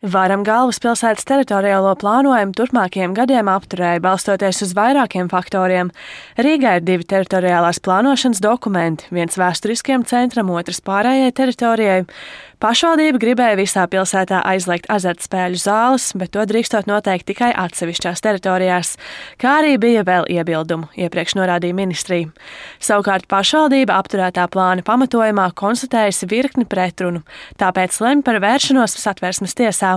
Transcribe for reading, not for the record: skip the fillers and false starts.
Varam galvaspilsētas teritoriālo plānojumu turpmākajiem gadiem apturēja, balstoties uz vairākiem faktoriem. Rīgā ir 2 teritoriālās plānošanas dokumenti, viens vēsturiskiem centram, otrs pārējai teritorijai. Pašvaldība gribēja visā pilsētā aizliegt azartspēļu zāles, bet to drīkstot noteikt tikai atsevišķās teritorijās, kā arī bija vēl iebildumu, iepriekš norādīja ministrija. Savukārt pašvaldība apturētā plāna pamatojumā konstatējusi virkni pretrunu, tāpēc lemj par vēršanos Satversmes tiesā.